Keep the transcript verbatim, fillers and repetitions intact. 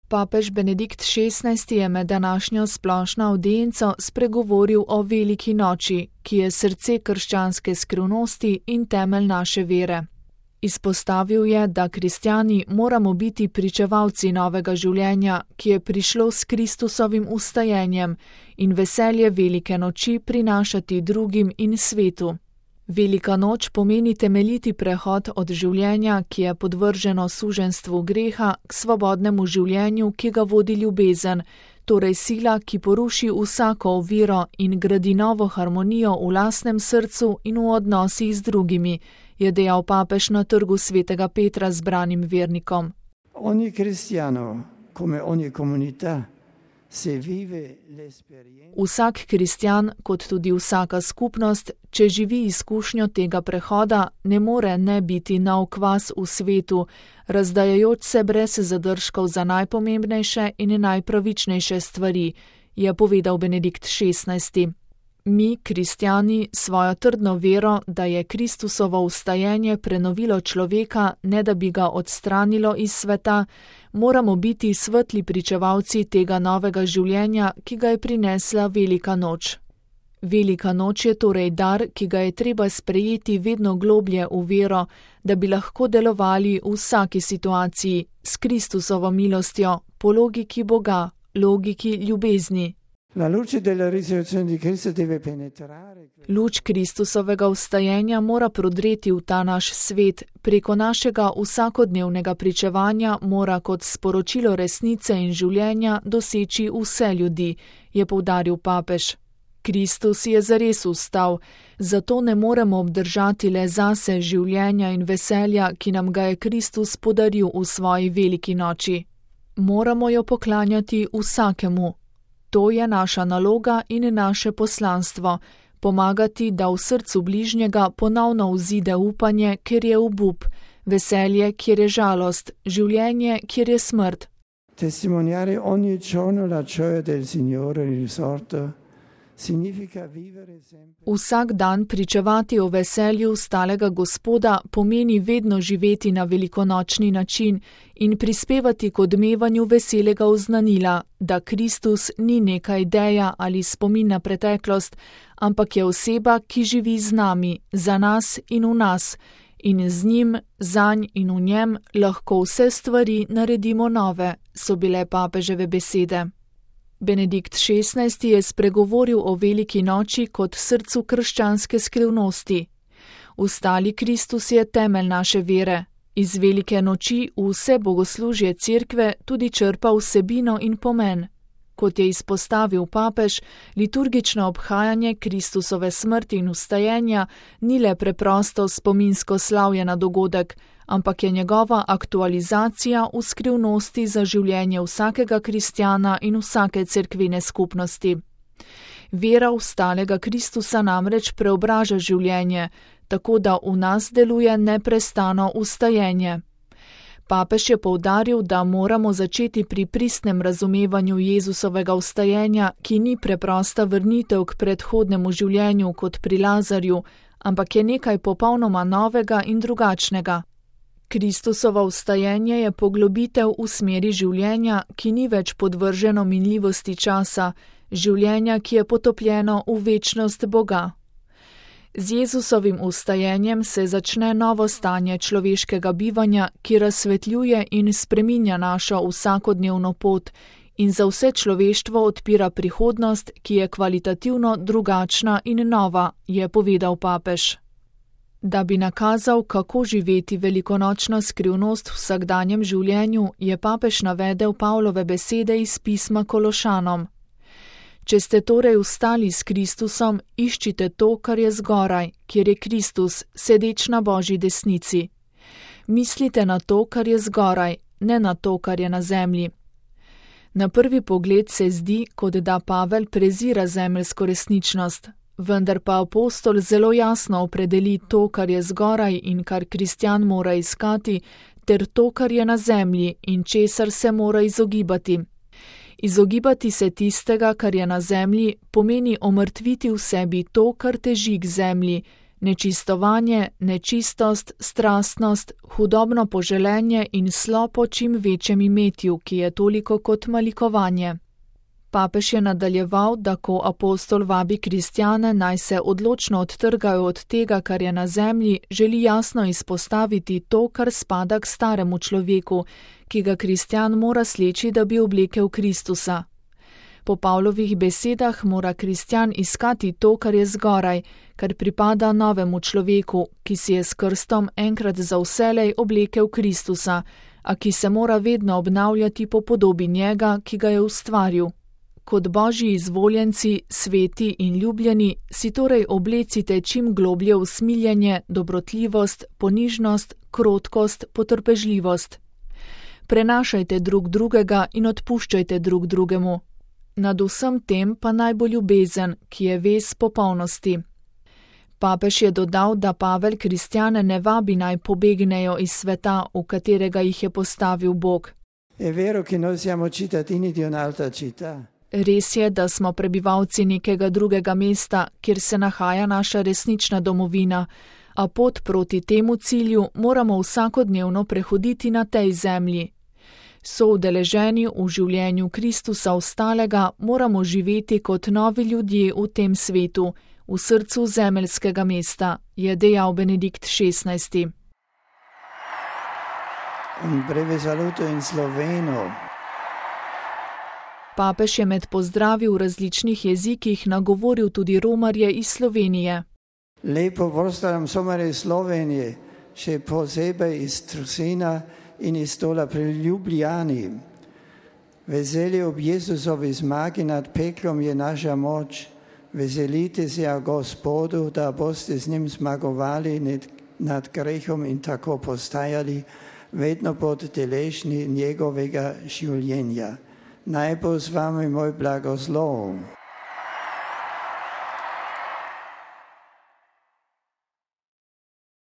Papež Benedikt šestnajsti je med današnjo splošno avdienco spregovoril o veliki noči, ki je srce krščanske skrivnosti in temelj naše vere. Izpostavil je, da kristjani moramo biti pričevalci novega življenja, ki je prišlo s Kristusovim vstajenjem, in veselje velike noči prinašati drugim in svetu. Velika noč pomeni temeljiti prehod od življenja, ki je podvrženo suženstvu greha, k svobodnemu življenju, ki ga vodi ljubezen, torej sila, ki poruši vsako oviro in gradi novo harmonijo v lastnem srcu in v odnosih z drugimi, je dejal papež na trgu svetega Petra zbranim vernikom. Ogni cristiano, come ogni comunità, se vive l'esperienza. Vsak kristjan, kot tudi vsaka skupnost, če živi izkušnjo tega prehoda, ne more ne biti nov kvas v svetu, razdajajoč se brez zadržkov za najpomembnejše in najpravičnejše stvari, je povedal Benedikt šestnajsti. Mi, kristjani, svojo trdno vero, da je Kristusovo vstajenje prenovilo človeka, ne da bi ga odstranilo iz sveta, moramo biti svetli pričevalci tega novega življenja, ki ga je prinesla velika noč. Velika noč je torej dar, ki ga je treba sprejeti vedno globlje v vero, da bi lahko delovali v vsaki situaciji s Kristusovo milostjo, po logiki Boga, logiki ljubezni. La luce della risurrezione di Cristo deve penetrare. Luč Kristusovega vstajenja mora prodreti v ta naš svet, preko našega vsakodnevnega pričevanja mora kot sporočilo resnice in življenja doseči vse ljudi, je poudaril papež. Kristus je zares vstal, zato ne moremo obdržati le zase življenja in veselja, ki nam ga je Kristus podaril v svoji veliki noči. Moramo jo poklanjati vsakemu. To je naša naloga in naše poslanstvo, pomagati, da v srcu bližnjega ponovno vzide upanje, kjer je obup, veselje, kjer je žalost, življenje, kjer je smrt. Testimoniare ogni giorno la gioia del Signore risorto significa vivere sempre. Vsak dan pričevati o veselju stalega Gospoda pomeni vedno živeti na velikonočni način in prispevati k odmevanju veselega oznanila, da Kristus ni neka ideja ali spomin na preteklost, ampak je oseba, ki živi z nami, za nas in v nas, in z njim, zanj in v njem lahko vse stvari naredimo nove, so bile papeževe besede. Benedikt šestnajsti je spregovoril o veliki noči kot srcu krščanske skrivnosti. Vstali Kristus je temelj naše vere. Iz velike noči v vse bogoslužje cerkve tudi črpa vsebino in pomen. Kot je izpostavil papež, liturgično obhajanje Kristusove smrti in vstajenja ni le preprosto spominsko slavje na dogodek, ampak je njegova aktualizacija v skrivnosti za življenje vsakega kristjana in vsake cerkvene skupnosti. Vera vstalega Kristusa namreč preobraža življenje, tako da v nas deluje neprestano vstajenje. Papež je poudaril, da moramo začeti pri pristnem razumevanju Jezusovega vstajenja, ki ni preprosta vrnitev k predhodnemu življenju kot pri Lazarju, ampak je nekaj popolnoma novega in drugačnega. Kristusovo vstajenje je poglobitev v smeri življenja, ki ni več podvrženo minljivosti časa, življenja, ki je potopljeno v večnost Boga. Z Jezusovim vstajenjem se začne novo stanje človeškega bivanja, ki razsvetljuje in spreminja našo vsakodnevno pot in za vse človeštvo odpira prihodnost, ki je kvalitativno drugačna in nova, je povedal papež. Da bi nakazal, kako živeti velikonočno skrivnost v vsakdanjem življenju, je papež navedel Pavlove besede iz pisma Kološanom. Če ste torej vstali s Kristusom, iščite to, kar je zgoraj, kjer je Kristus, sedeč na Božji desnici. Mislite na to, kar je zgoraj, ne na to, kar je na zemlji. Na prvi pogled se zdi, kot da Pavel prezira zemeljsko resničnost, vendar pa apostol zelo jasno opredeli to, kar je zgoraj in kar kristjan mora iskati, ter to, kar je na zemlji in česar se mora izogibati. Izogibati se tistega, kar je na zemlji, pomeni omrtviti v sebi to, kar teži k zemlji, Nečistovanje, nečistost, strastnost, hudobno poželenje in slo po čim večjem imetju, ki je toliko kot malikovanje. Papež je nadaljeval, da ko apostol vabi kristjane, naj se odločno odtrgajo od tega, kar je na zemlji, želi jasno izpostaviti to, kar spada k staremu človeku, ki ga kristjan mora sleči, da bi oblekel Kristusa. Po Pavlovih besedah mora kristjan iskati to, kar je zgoraj, kar pripada novemu človeku, ki si je s krstom enkrat za vselej oblekel Kristusa, a ki se mora vedno obnavljati po podobi njega, ki ga je ustvaril. Kot božji izvoljenci, sveti in ljubljeni, si torej oblecite čim globlje usmiljenje, dobrotljivost, ponižnost, krotkost, potrpežljivost. Prenašajte drug drugega in odpuščajte drug drugemu. Nad vsem tem pa naj bo ljubezen, ki je vez popolnosti. Papež je dodal, da Pavel kristjane ne vabi naj pobegnejo iz sveta, v katerega jih je postavil Bog. È vero che noi siamo cittadini di un'altra città. Res je, da smo prebivalci nekega drugega mesta, kjer se nahaja naša resnična domovina, a pot proti temu cilju moramo vsakodnevno prehoditi na tej zemlji. Soudeleženi v življenju Kristusa ostalega moramo živeti kot novi ljudje v tem svetu, v srcu zemeljskega mesta, je dejal Benedikt šestnajsti. Un breve saluto in sloveno. Papež je med pozdravi v različnih jezikih nagovoril tudi romarje iz Slovenije. Lepo pozdravljam somare iz Slovenije, še posebej iz Trusina in iz Stola pri Ljubljani. Veselje ob Jezusovi zmagi nad peklom je naša moč. Veselite se a Gospodu, da boste z njim zmagovali nad grehom in tako postajali vedno pod deležni njegovega življenja. Naj bo z vami moj blagoslov.